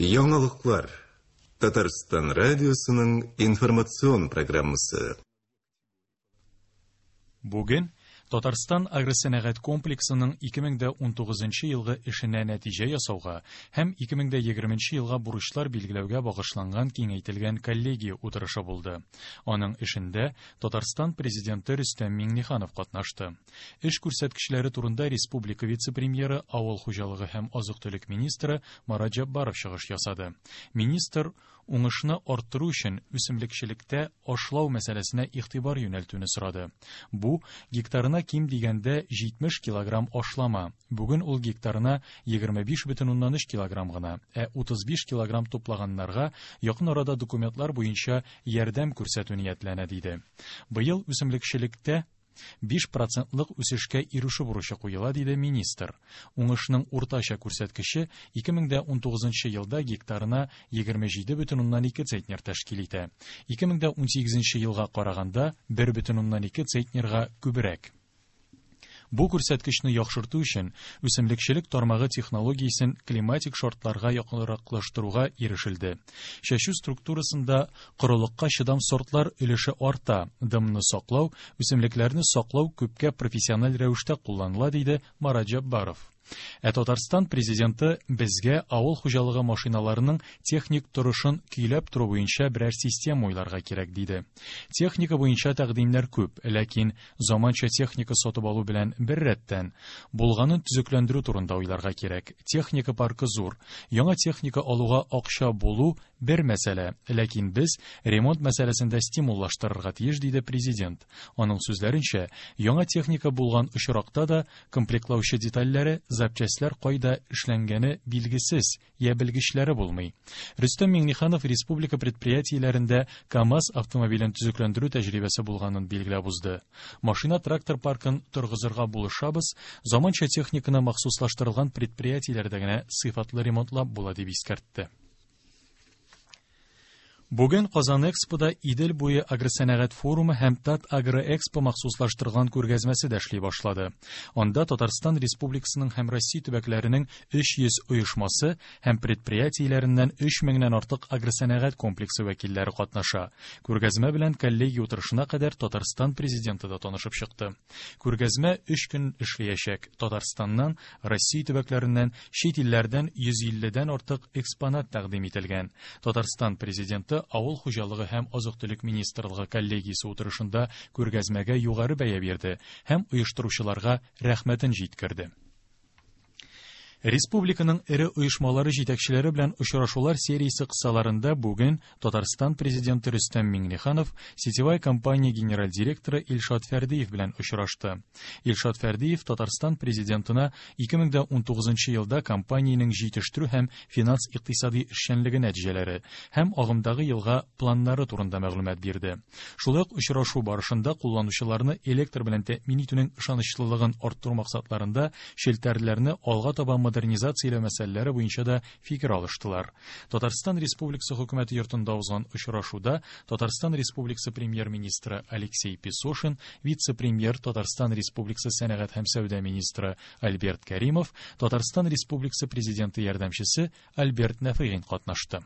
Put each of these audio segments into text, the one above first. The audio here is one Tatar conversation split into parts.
Яңалыклар. Татарстан радиосының информацион программасы. Бүген Татарстан агросәнәгать комплексының 2019 елгы эшенә нәтиҗә ясауга һәм 2020 елга бурычлар билгеләүгә багышланган киңәйтелгән коллегия утырышы булды. Аның эшендә Татарстан Президенты Рөстәм Миңнеханов катнашты. Эш күрсәткечләре турында республика вице-премьеры, авыл хуҗалыгы һәм азык-төлек министры Марат Җәббаров чыгыш ясады. Министр уңышны арттыру өчен үсемлекчелектә ашлау мәсьәләсенә игътибар юнәлтүне сорады. Бу гектарына ким дигәндә 70 килограмм ашлама. Бүген ул гектарына 25,3 килограмм гына, ә 35 килограмм туплаганнарга якын арада документлар буенча ярдәм күрсәтү ниятләнә, диде. Быел үсемлекчелектә 5 процентлык үсешкә ирешү бурычы куела, диде министр. Уңышның уртача күрсәткече 2019 елда гектарына 27,2 центнер тәшкил итә. 2018 елга караганда 1,2 центнерга күбрәк. Бу күрсәткечне яхшырту өчен үсемлекчелек тармагы технологиясен климатик шартларга якынраклаштыруга ирешелде. Чәчү структурасында корылыкка чыдам сортлар өлеше арта, дымны саклау, үсемлекләрне саклау күпкә профессиональ рәвештә кулланыла, диде Марат Җәббаров. Ә Татарстан президенты безгә авыл хуҗалыгы машиналарының техник торышын көйләп тору буенча берәр система уйларга кирәк, диде. Техника буенча тәкъдимнәр күп, ләкин заманча техника сатып алу белән бер рәттән булганын төзекләндерү турында уйларга кирәк. Техника паркы зур. Яңа техника алуга акча булу бер мәсьәлә, ләкин без ремонт мәсьәләсендә стимуллаштырырга тиеш, диде президент. Аның сүзләренчә, яңа техника булган очракта да комплектлаучы детальләре, запчастьләр кайда эшләнгәне билгесез, я белгечләре булмый. Рөстәм Миңнеханов республика предприятиеләрендә КАМАЗ автомобилен төзекләндерү тәҗрибәсе булганын билгеләп узды. Машина-трактор паркын торгызырга булышабыз, заманча техниканы махсуслаштырылган предприятиеләрдә генә сыйфатлы ремонтлап була, дип искәртте. Бүген Казан Экспода Идел буе агросәнәгать форумы һәм Тат Агроэкспо махсуслаштырылган күргәзмәсе дә эшли башлады. Анда Татарстан Республикасының һәм Россия төбәкләренең 300 оешмасы һәм предприятиеләреннән 3 меңнән артык агросәнәгать комплексы вәкилләре катнаша. Күргәзмә белән коллегия утырышына кадәр Татарстан президенты да танышып чыкты. Күргәзмә 3 көн эшләячәк. Татарстаннан, Россия төбәкләреннән, чит илләрдән 150-дән артык экспонат тәкъдим ителгән. Татарстан президенты Авыл хуҗалыгы һәм азык-төлек министрлыгы коллегиясе утырышында күргәзмәгә югары бәя бирде һәм оештыручыларга рәхмәтен җиткерде. Республиканың эре оешмалары җитәкчеләре белән очрашулар сериясе кысаларында бүген Татарстан президенты Рөстәм Миңнеханов сетевая компания генераль директоры Илшат Фәрдиев белән очрашты. Илшат Фәрдиев Татарстан президентына 2019 елда компаниянең җитештерү һәм финанс-икътисади эшчәнлеге нәтиҗәләре һәм агымдагы елга планнары турында мәгълүмат бирде. Шулай ук очрашу барышында кулланучыларны электр белән тәэмин итүнең ышанычлылыгын арттыру максатларында челтәрләрне алга таба модернизацияләү мәсьәләләре буенча да фикер алыштылар. Татарстан Республикасы хөкүмәте йортында узган очрашуда Татарстан Республикасы премьер-министры Алексей Песошин, вице-премьер Татарстан Республикасы сәнәгать һәм сәүдә министры Альберт Кәримов, Татарстан Республикасы президенты ярдәмчесе Альберт Нәфыйгин катнашты.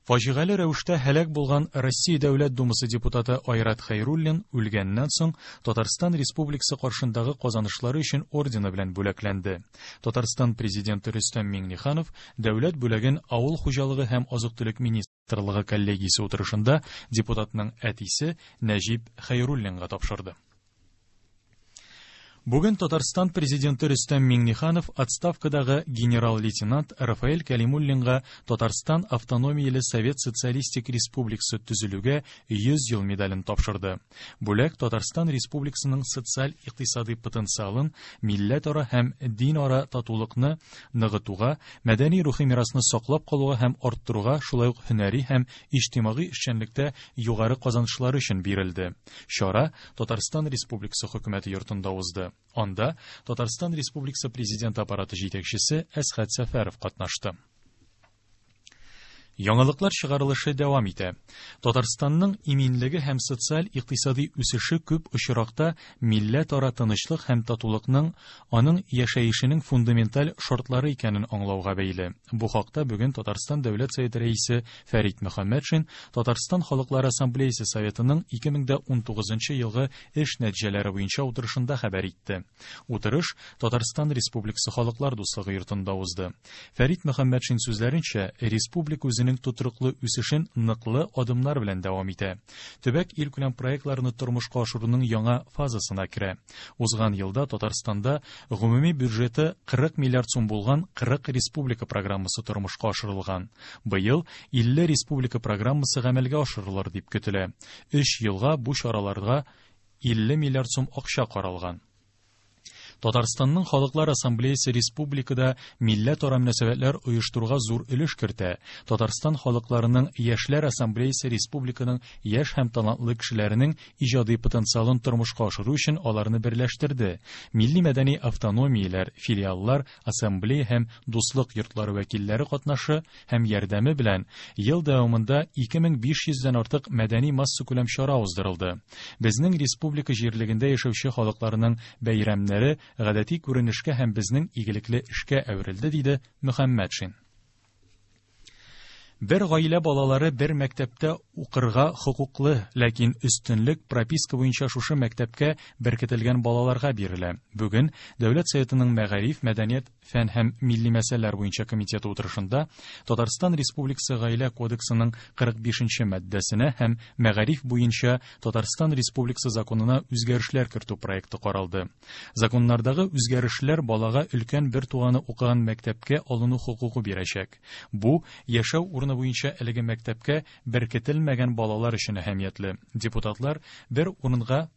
Фаҗигале рәвештә һәлак булган Россия Дәүләт Думасы депутаты Айрат Хәйруллин үлгәннән соң Татарстан Республикасы каршындагы казанышлары өчен ордены белән бүләкләнде. Татарстан президенты Рөстәм Миңнеханов дәүләт бүләген Авыл хуҗалыгы һәм азык-төлек министрлыгы коллегиясе утырышында депутатның әтисе Нәҗип Хәйруллинга тапшырды. Бүген Татарстан президенты Рөстәм Миңнеханов отставкадагы генерал-лейтенант Рафаэль Кәлимуллинга Татарстан автономияле Совет Социалистик Республикасы төзелүгә 100 ел медален тапшырды. Бүләк Татарстан Республикасының социаль-икътисади потенциалын, милләтара һәм динара татулыкны ныгытуга, мәдәни-рухи мирасны саклап калуга һәм арттыруга, шулай ук һөнәри һәм иҗтимагый эшчәнлектә югары казанышлары өчен бирелде. Чара Татарстан Республикасы хөкүмәте йортында узды. Анда Татарстан Республикасы президенты аппараты җитәкчесе Әсхәт Сәфәров катнашты. Яңалыклар чыгарылышы дәвам итә. Татарстанның иминлеге һәм социаль-икътисади үсеше күп очракта милләтара тынычлык һәм татулыкның, аның яшәешенең фундаменталь шартлары икәнен аңлауга бәйле. Бу хакта бүген Татарстан Дәүләт Советы Рәисе Фәрит Мөхәммәтшин Татарстан Халыклар Ассамблеясе Советының 2019 елгы эш нәтиҗәләре буенча утырышында хәбәр итте. Утырыш Татарстан Республикасы Халыклар дуслыгы йортында узды. Фәрит Мөхәммәтшин сүзләренчә, республика үзенең тотрыклы үсешен ныклы адымнар белән дәвам итә. Төбәк илкүләм проектларны тормышка ашыруның яңа фазасына керә. Узган елда Татарстанда гомуми бюджеты 40 миллиард сум булган 40 республика программасы тормышка ашырылган. Быел 50 республика программасы гамәлгә ашырылыр дип көтелә. Өч елга бу чараларга 50 миллиард сум акча каралган. Татарстанның Халыклар Ассамблеясе республикада милләтара мөнәсәбәтләр оештыруга зур өлеш кертә. Татарстан халыкларының Яшьләр Ассамблеясе республиканың яшь һәм талантлы кешеләренең иҗади потенциалын тормышка ашыру өчен аларны берләштерде. Милли мәдәни автономияләр, филиаллар, ассамблея һәм дуслык йортлары вәкилләре катнашы һәм ярдәме белән ел дәвамында 2500 дән артык мәдәни массакүләм чара уздырылды. Безнең республика җирлегендә яшәүче халыкларның бәйрәмнәре гадәти күренешкә һәм безнең игелекле эшкә әверелде, диде Мөхәммәтшин. Бер гаилә балалары бер мәктәптә укырга хокуклы, ләкин өстенлек прописка буенча шушы мәктәпкә беркетелгән балаларга бирелә. Бүген Дәүләт Советының Мәгариф, мәдәният, фән һәм милли мәсьәләләр буенча комитеты утырышында Татарстан Республикасы Гаилә кодексының 45 нче маддәсенә һәм Мәгариф буенча Татарстан Республикасы законына үзгәрешләр кертү проекты каралды. Законнардагы үзгәрешләр балага өлкән бер туганы укыган мәктәпкә алыну хокукы бирәчәк. Бу яшәү урыны буенча әлеге мәктәпкә беркетелмәгән балалар өчен әһәмиятле. Депутатлар бер урынга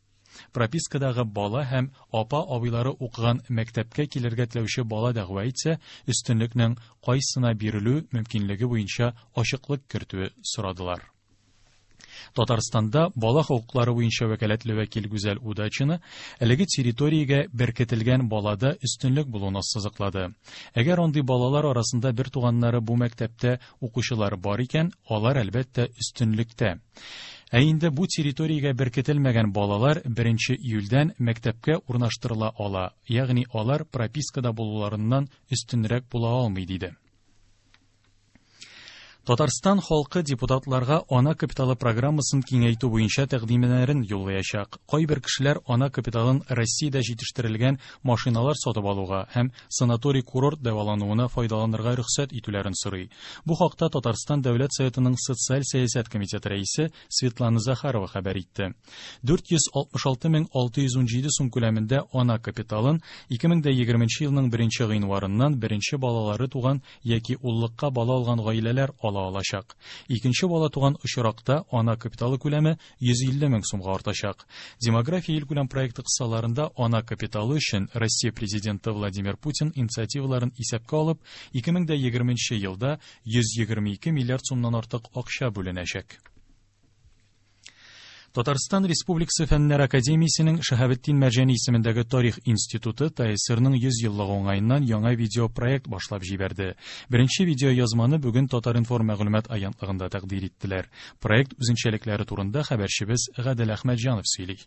пропискадагы бала һәм апа-абыйлары укыган мәктәпкә килергә теләүче бала дәгъва итсә, өстенлекнең кайсына бирелү мөмкинлеге буенча ачыклык кертүе сорадылар. Татарстанда бала хокуклары буенча вәкаләтле вәкил Гүзәл Удачина әлеге территориягә беркетелгән балада өстенлек булуын ассызыклады. Әгәр андый балалар арасында бер туганнары бу мәктәптә укучылар бар икән, алар әлбәттә өстенлектә. Ә инде бу территориягә беркетелмәгән балалар 1 июльдән мәктәпкә урнаштырыла ала, ягъни алар пропискада булуларыннан өстенрәк була алмый, диде. Татарстан халкы депутатларга ана капиталы программасын киңәйтү буенча тәкъдимнәрен юллаячак. Кайбер кешеләр ана капиталын Россиядә җитештерелгән машиналар сатып алуга һәм санаторий-курорт дәвалануына файдаланырга рөхсәт итүләрен сорый. Бу хакта Татарстан Дәүләт Советының Социаль сәясәт комитеты рәисе Светлана Захарова хәбәр итте. 466 617 сум күләмендә ана капиталын 2020 елның 1 гыйнварыннан беренче балалары туган яки уллыкка бала алган гаиләләр ала алачак. Икенче бала туган очракта ана капиталы күләме 150 мең сумга артачак. Демография илкүләм проекты кысаларында ана капиталы өчен Россия президенты Владимир Путин инициативаларын исәпкә алып, 2020 елда 122 миллиард сумнан артык акча бүленәчәк. Татарстан Республикасы Фәннәр Академиясенең Шаһабетдин Мәрҗани исемендәге Тарих институты ТАССРның 100 еллыгы уңаеннан яңа видеопроект башлап җибәрде. Беренче видеоязманы бүген Татар-информ мәгълүмат агентлыгында тәкъдир иттеләр. Проект үзенчәлекләре турында хәбәрчебез Гадел Әхмәтҗанов сөйли.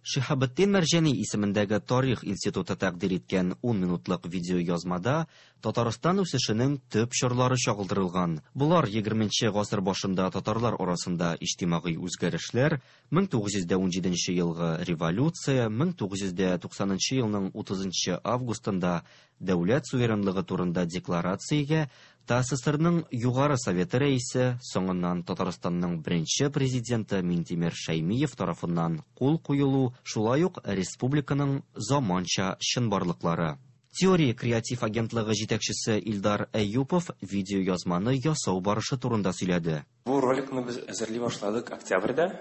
Шиһабетдин Мәрҗани исемендәге Тарих институты тәкъдир иткән 10 минутлык видеоязмада Татарстан үсешенең төп чорлары чагылдырылган. Болар 20 гасыр башында татарлар арасында иҗтимагый үзгәрешләр, 1917 елгы революция, 1990 елның 30 августында дәүләт суверенлыгы турында декларациягә ТАССРның Югары Советы рәисе, соңыннан Татарстанның беренче президенты Минтимер Шәймиев тарафыннан кул куелу, шулай ук республиканың заманча чынбарлыклары. Теория креатив агентлыгы җитәкчесе Илдар Әюпов видеоязманы ясау барышы турында сөйләде. Бу роликны без әзерли башладык октябрьдә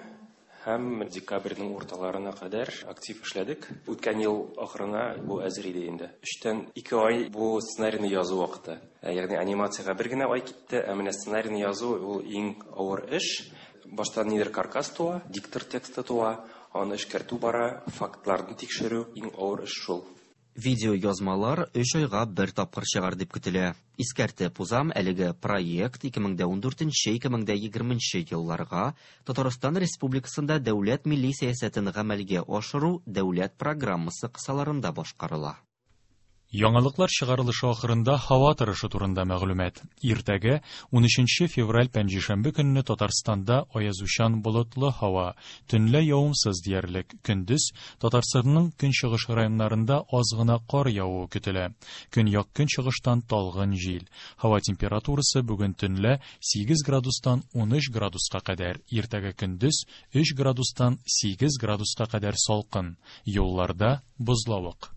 һәм декабрьнең урталарына кадәр актив эшләдек. Үткән ел ахырына бу әзер иде инде. 3-тән 2 ай бу сценарийны язу вакыты. Ягъни анимациягә бер генә ай китте, ә менә сценарийны язу ул иң авыр эш. Башта нидер каркас туа, диктор тексты туа, аны эшкәртү бара, фактларны тикшерү иң авыр эш шул. Видеоязмалар өч айга бер тапкыр чыгар дип көтелә. Искәртеп узам, әлеге проект 2014-2020 елларга Татарстан Республикасында дәүләт милли сәясәтен гамәлгә ашыру дәүләт программасы кысаларында башкарыла. Яңалыклар чыгарылышы ахырында һава торышы турында мәгълүмат. Иртәгә, 13 февраль пәнҗешәмбе көнне Татарстанда аязучан болытлы һава, төнлә явымсыз диярлек, көндез Татарстанның көнчыгыш районнарында аз гына кар явуы көтелә. Көньяк-көнчыгыштан талгын җил. Һава температурасы бүген төнлә 8 градустан 13 градуска кадәр, иртәгә көндез 3 градустан 8 градуска кадәр салкын. Юлларда бозлавык.